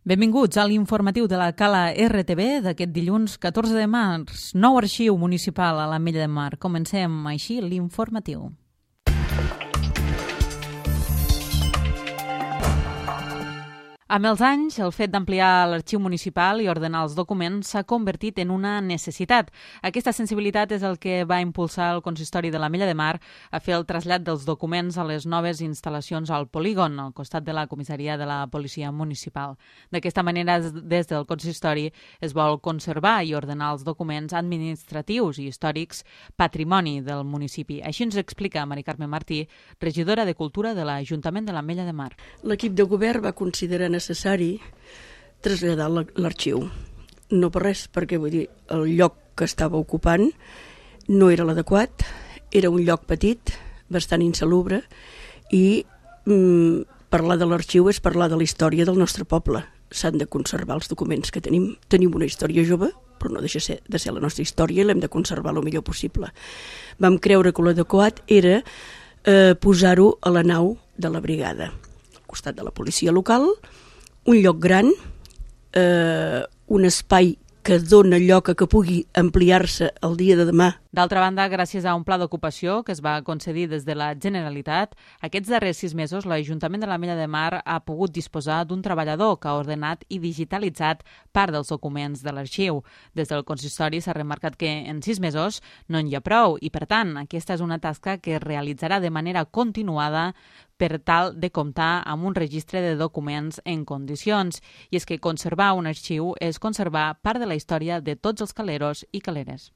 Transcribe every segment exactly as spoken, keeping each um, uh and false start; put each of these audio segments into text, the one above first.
Benvinguts a l'informatiu de la Cala R T V d'aquest dilluns catorze de març. Nou arxiu municipal a l'Ametlla de Mar. Comencem així l'informatiu. Amb els anys, el fet d'ampliar l'arxiu municipal i ordenar els documents s'ha convertit en una necessitat. Aquesta sensibilitat és el que va impulsar el consistori de l'Ametlla de Mar a fer el trasllat dels documents a les noves instal·lacions al polígon, al costat de la comissaria de la policia municipal. D'aquesta manera, des del consistori es vol conservar i ordenar els documents administratius i històrics patrimoni del municipi. Així ens explica Mari Carme Martí, regidora de Cultura de l'Ajuntament de l'Ametlla de Mar. L'equip de govern va considerar necessari traslladar l'arxiu. No per res, perquè vull dir, el lloc que estava ocupant no era l'adequat, era un lloc petit, bastant insalubre, i mm, parlar de l'arxiu és parlar de la història del nostre poble. S'han de conservar els documents que tenim. Tenim una història jove, però no deixa ser, de ser la nostra història, i l'hem de conservar el millor possible. Vam creure que l'adequat era eh, posar-ho a la nau de la brigada, al costat de la policia local, un lloc gran, eh, un espai que dona lloc a que pugui ampliar-se el dia de demà. D'altra banda, gràcies a un pla d'ocupació que es va concedir des de la Generalitat, aquests darrers sis mesos l'Ajuntament de l'Ametlla de Mar ha pogut disposar d'un treballador que ha ordenat i digitalitzat part dels documents de l'arxiu. Des del consistori s'ha remarcat que en sis mesos no n'hi ha prou i, per tant, aquesta és una tasca que es realitzarà de manera continuada per tal de comptar amb un registre de documents en condicions. I és que conservar un arxiu és conservar part de la història de tots els caleros i caleres.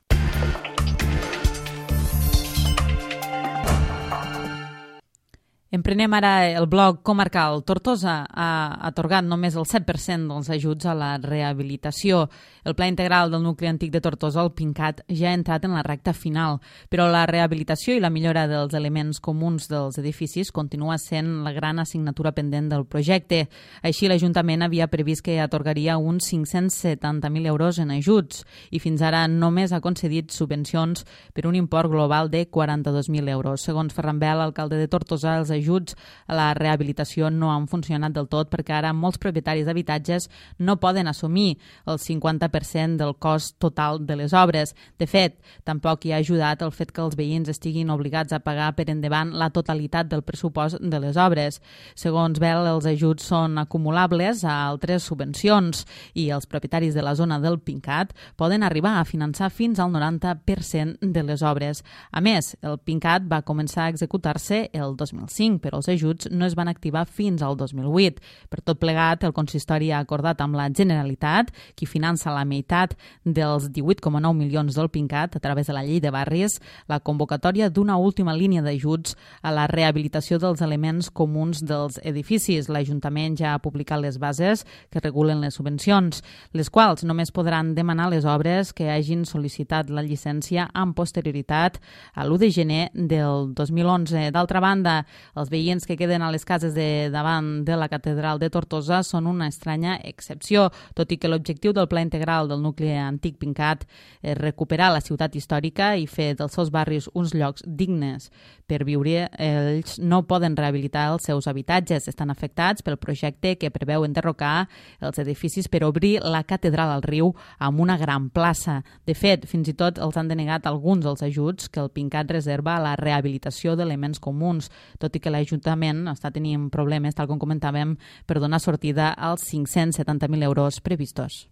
Emprenem ara el bloc comarcal. Tortosa ha atorgat només el set per cent dels ajuts a la rehabilitació. El Pla Integral del Nucli Antic de Tortosa, el PINCAT, ja ha entrat en la recta final, però la rehabilitació i la millora dels elements comuns dels edificis continua sent la gran assignatura pendent del projecte. Així, l'Ajuntament havia previst que atorgaria uns cinc-cents setanta mil euros en ajuts i fins ara només ha concedit subvencions per un import global de quaranta-dos mil euros. Segons Ferran Bel, alcalde de Tortosa, els ajuts a la rehabilitació no han funcionat del tot perquè ara molts propietaris d'habitatges no poden assumir el cinquanta per cent del cost total de les obres. De fet, tampoc hi ha ajudat el fet que els veïns estiguin obligats a pagar per endavant la totalitat del pressupost de les obres. Segons Bel, els ajuts són acumulables a altres subvencions i els propietaris de la zona del PINCAT poden arribar a finançar fins al noranta per cent de les obres. A més, el PINCAT va començar a executar-se el dos mil cinc, però els ajuts no es van activar fins al dos mil vuit. Per tot plegat, el consistori ha acordat amb la Generalitat, qui finança la meitat dels divuit coma nou milions del PINCAT a través de la llei de barris, la convocatòria d'una última línia d'ajuts a la rehabilitació dels elements comuns dels edificis. L'Ajuntament ja ha publicat les bases que regulen les subvencions, les quals només podran demanar les obres que hagin sol·licitat la llicència amb posterioritat a l'u de gener del dos mil onze. D'altra banda, els veïns que queden a les cases de davant de la catedral de Tortosa són una estranya excepció, tot i que l'objectiu del Pla Integral del Nucli Antic PINCAT és recuperar la ciutat històrica i fer dels seus barris uns llocs dignes per viure. Ells no poden rehabilitar els seus habitatges, estan afectats pel projecte que preveu enderrocar els edificis per obrir la catedral al riu amb una gran plaça. De fet, fins i tot els han denegat alguns dels ajuts que el PINCAT reserva a la rehabilitació d'elements comuns, tot i que l'Ajuntament està tenint problemes, tal com comentàvem, per donar sortida als cinc-cents setanta mil euros previstos.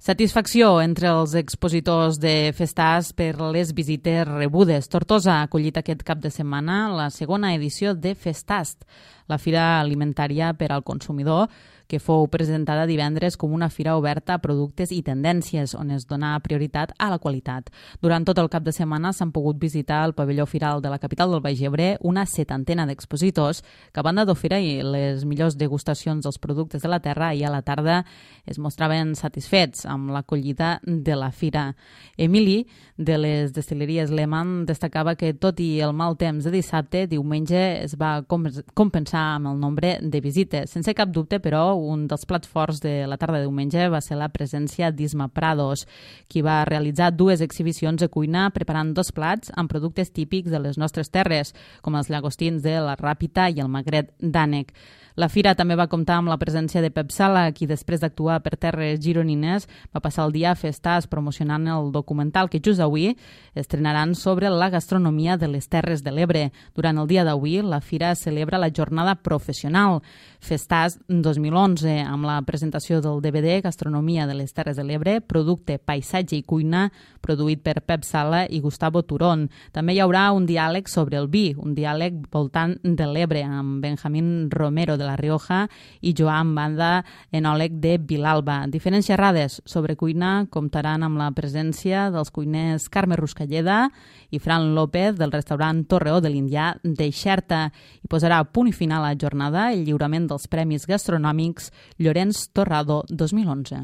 Satisfacció entre els expositors de Festàs per les visites rebudes. Tortosa ha acollit aquest cap de setmana la segona edició de Festast, la fira alimentària per al consumidor, que fou presentada divendres com una fira oberta a productes i tendències, on es dona prioritat a la qualitat. Durant tot el cap de setmana s'han pogut visitar al pavelló firal de la capital del Baix Ebre una setantena d'expositors que, a banda d'oferir les millors degustacions dels productes de la terra, i a la tarda es mostraven satisfets amb l'acollida de la fira. Emili, de les destil·leries Lehmann, destacava que, tot i el mal temps de dissabte, diumenge es va compensar amb el nombre de visites. Sense cap dubte, però, un dels plats forts de la tarda de diumenge va ser la presència d'Isma Prados, qui va realitzar dues exhibicions de cuina preparant dos plats amb productes típics de les nostres terres, com els llagostins de la Ràpita i el magret d'ànec. La fira també va comptar amb la presència de Pep Sala, qui després d'actuar per terres gironines va passar el dia a Festàs promocionant el documental que just avui estrenaran sobre la gastronomia de les Terres de l'Ebre. Durant el dia d'avui, la fira celebra la jornada professional Festàs dos mil onze, amb la presentació del D V D Gastronomia de les Terres de l'Ebre, producte, paisatge i cuina, produït per Pep Sala i Gustavo Turón. També hi haurà un diàleg sobre el vi, un diàleg voltant de l'Ebre, amb Benjamín Romero de la Rioja i Joan Banda, enòleg de Vilalba. Diferents xerrades sobre cuina comptaran amb la presència dels cuiners Carme Ruscalleda i Fran López del restaurant Torreó de l'Indià de Xerta. I posarà punt i final a la jornada el lliurament dels Premis Gastronòmics Llorenç Torrado dos mil onze.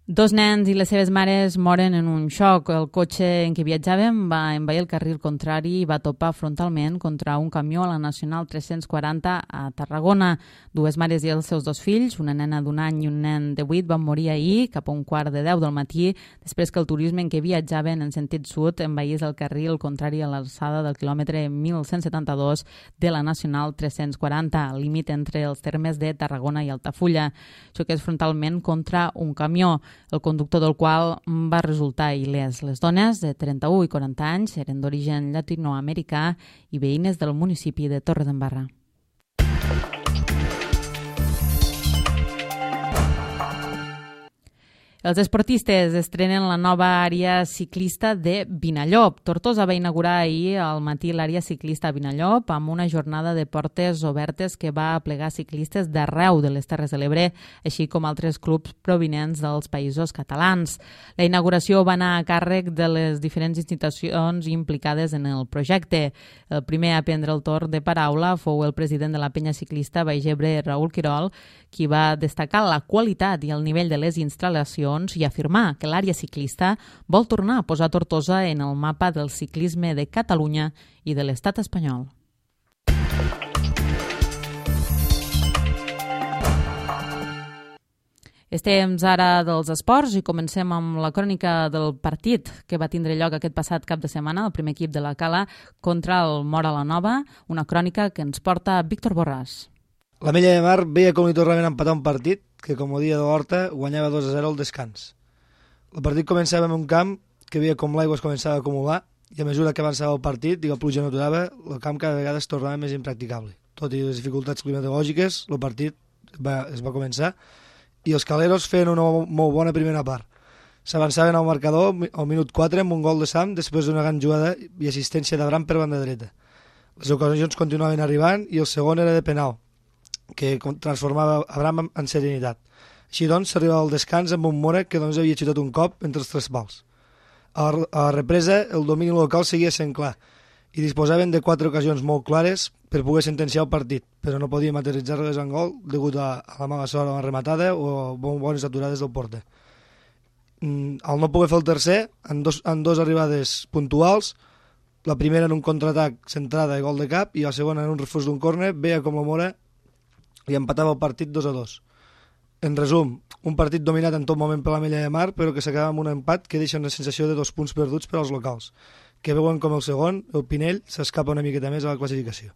Dos nens i les seves mares moren en un xoc. El cotxe en què viatjaven va envair el carril contrari i va topar frontalment contra un camió a la Nacional tres-cents quaranta a Tarragona. Dues mares i els seus dos fills, una nena d'un any i un nen de vuit, van morir ahir cap a un quart de deu del matí després que el turisme en què viatjaven en sentit sud envaís el carril contrari a l'alçada del quilòmetre mil cent setanta-dos de la Nacional tres-cents quaranta, al límit entre els termes de Tarragona i Altafulla. Xoqués frontalment contra un camió, el conductor del qual va resultar il·lès. Les dones, de trenta-u i quaranta anys, eren d'origen llatinoamericà i veïnes del municipi de Torredembarra. Els esportistes estrenen la nova àrea ciclista de Vinallop. Tortosa va inaugurar ahir al matí l'àrea ciclista a Vinallop amb una jornada de portes obertes que va aplegar ciclistes d'arreu de les Terres de l'Ebre, així com altres clubs provinents dels països catalans. La inauguració va anar a càrrec de les diferents institucions implicades en el projecte. El primer a prendre el torn de paraula fou el president de la penya ciclista Baix Ebre, Raül Quirol, qui va destacar la qualitat i el nivell de les instal·lacions i afirmar que l'àrea ciclista vol tornar a posar Tortosa en el mapa del ciclisme de Catalunya i de l'estat espanyol. Estem ara dels esports i comencem amb la crònica del partit que va tindre lloc aquest passat cap de setmana, el primer equip de la Cala contra el Móra la Nova, una crònica que ens porta Víctor Borràs. La Mella de Mar veia com li tornaven a empatar un partit que, com ho dia de l'Horta, guanyava dos a zero al descans. El partit començava en un camp que veia com l'aigua es començava a acumular i a mesura que avançava el partit i la pluja no aturava, el camp cada vegada es tornava més impracticable. Tot i les dificultats climatològiques, el partit va, es va començar i els caleros feien una molt bona primera part. S'avançaven al marcador al minut quatre amb un gol de Sam després d'una gran jugada i assistència d'Abram per banda dreta. Les ocasions continuaven arribant i el segon era de penal, que transformava Abram en serenitat. Així doncs, s'arribava al descans amb un Mora que doncs, havia xutat un cop entre els tres pals. A la, a la represa, el domini local seguia sent clar i disposaven de quatre ocasions molt clares per poder sentenciar el partit, però no podien materialitzar-les en gol degut a, a la mala sort a la rematada o a bones aturades del porter. Mm, al no poder fer el tercer, en dos, en dos arribades puntuals, la primera en un contraatac centrada i gol de cap i la segona en un refús d'un córner, veia com la Mora i empatava el partit dos a dos. En resum, un partit dominat en tot moment per la Mella de Mar, però que s'acaba amb un empat que deixa una sensació de dos punts perduts per als locals, que veuen com el segon, el Pinell, s'escapa una miqueta més a la classificació.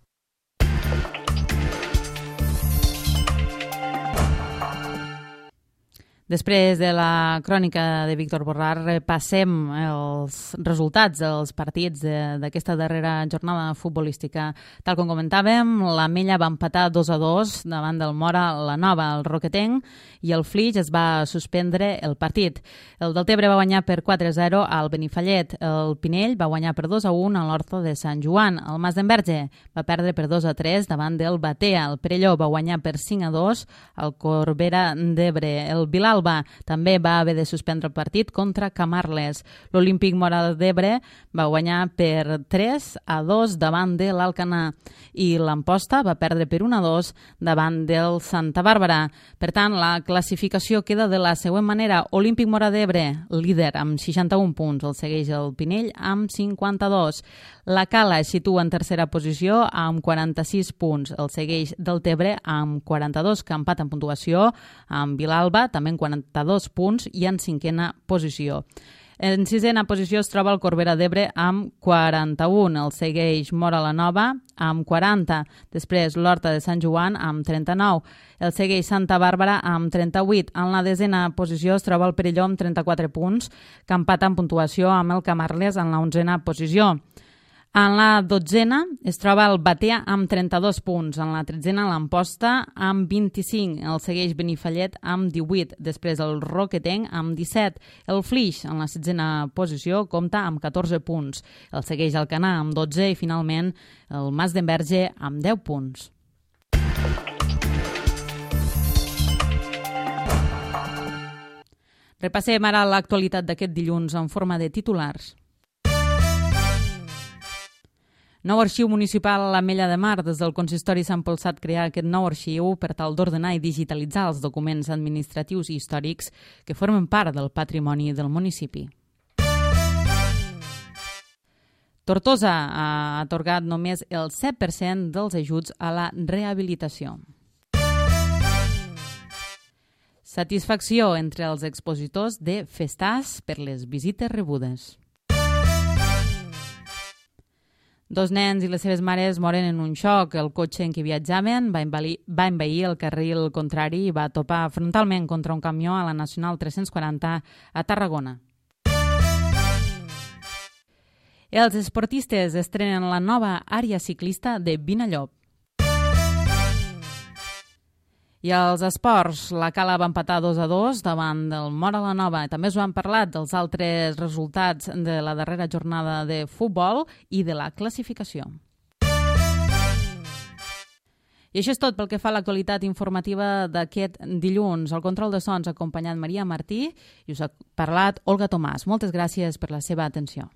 Després de la crònica de Víctor Borràs, repassem els resultats dels partits d'aquesta darrera jornada futbolística. Tal com comentàvem, la Mella va empatar dos a dos davant del Móra la Nova, el Roquetenc, i el Flix es va suspendre el partit. El Deltebre va guanyar per quatre a zero al Benifallet, el Pinell va guanyar per dos a un a l'Horta de Sant Joan, el Mas d'Enverge va perdre per dos a tres davant del Batea, el Perelló va guanyar per cinc a dos al Corbera d'Ebre, el Bilal Vilalba també va haver de suspendre el partit contra Camarles. L'Olímpic Móra d'Ebre va guanyar per tres a dos davant de l'Alcanar i l'Amposta va perdre per un a dos davant del Santa Bàrbara. Per tant, la classificació queda de la següent manera. Olímpic Móra d'Ebre, líder amb seixanta-un punts, el segueix el Pinell amb cinquanta-dos. La Cala es situa en tercera posició amb quaranta-sis punts, el segueix Deltebre amb quaranta-dos, que empat en puntuació, amb Vilalba també en quaranta-dos punts i en cinquena posició. En sisena posició es troba el Corbera d'Ebre amb quaranta-un, el segueix Móra la Nova amb quaranta, després l'Horta de Sant Joan amb trenta-nou, el segueix Santa Bàrbara amb trenta-vuit. En la desena posició es troba el Perelló amb trenta-quatre punts, que empata en puntuació amb el Camarles en la onzena posició. En la dotzena es troba el Batea amb trenta-dos punts, en la tretzena l'Amposta amb vint-i-cinc, el segueix Benifallet amb divuit, després el Roquetenc amb disset, el Flix en la setzena posició compta amb catorze punts, el segueix Alcanar amb dotze i finalment el Mas d'Enverge amb deu punts. Repassem ara l'actualitat d'aquest dilluns en forma de titulars. Nou arxiu municipal a l'Ametlla de Mar. Des del consistori s'ha impulsat crear aquest nou arxiu per tal d'ordenar i digitalitzar els documents administratius i històrics que formen part del patrimoni del municipi. Tortosa ha atorgat només el set per cent dels ajuts a la rehabilitació. Satisfacció entre els expositors de Festàs per les visites rebudes. Dos nens i les seves mares moren en un xoc. El cotxe en què viatjaven va envair, va envair el carril contrari i va topar frontalment contra un camió a la Nacional tres-cents quaranta a Tarragona. Els esportistes estrenen la nova àrea ciclista de Vinallop. I als esports, la Cala va empatar dos a dos davant del Móra la Nova. També us han parlat dels altres resultats de la darrera jornada de futbol i de la classificació. I això és tot pel que fa a l'actualitat informativa d'aquest dilluns. El control de sons ha acompanyat Maria Martí i us ha parlat Olga Tomàs. Moltes gràcies per la seva atenció.